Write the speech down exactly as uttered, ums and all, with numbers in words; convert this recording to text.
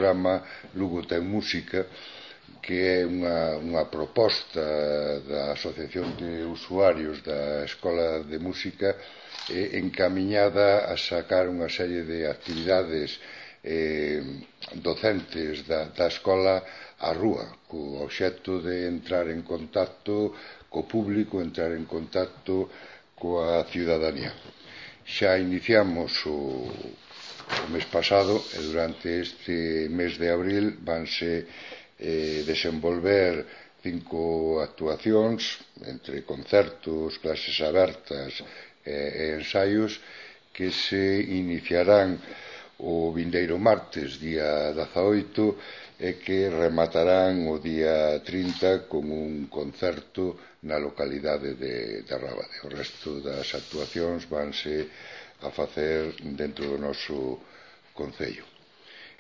programa Lugo ten música, que é unha, unha proposta da Asociación de Usuarios da Escola de Música eh, encamiñada a sacar unha serie de actividades eh, docentes da, da escola á rúa, co obxecto de entrar en contacto co público, entrar en contacto coa ciudadanía. Xa iniciamos o, o mes pasado e durante este mes de abril vanse eh, desenvolver cinco actuacións entre concertos, clases abertas e, e ensaios que se iniciarán o vindeiro martes, día dezaoito, e que rematarán o día trinta con un concerto na localidade de, de Rábade. O resto das actuacións vanse a facer dentro do noso concello.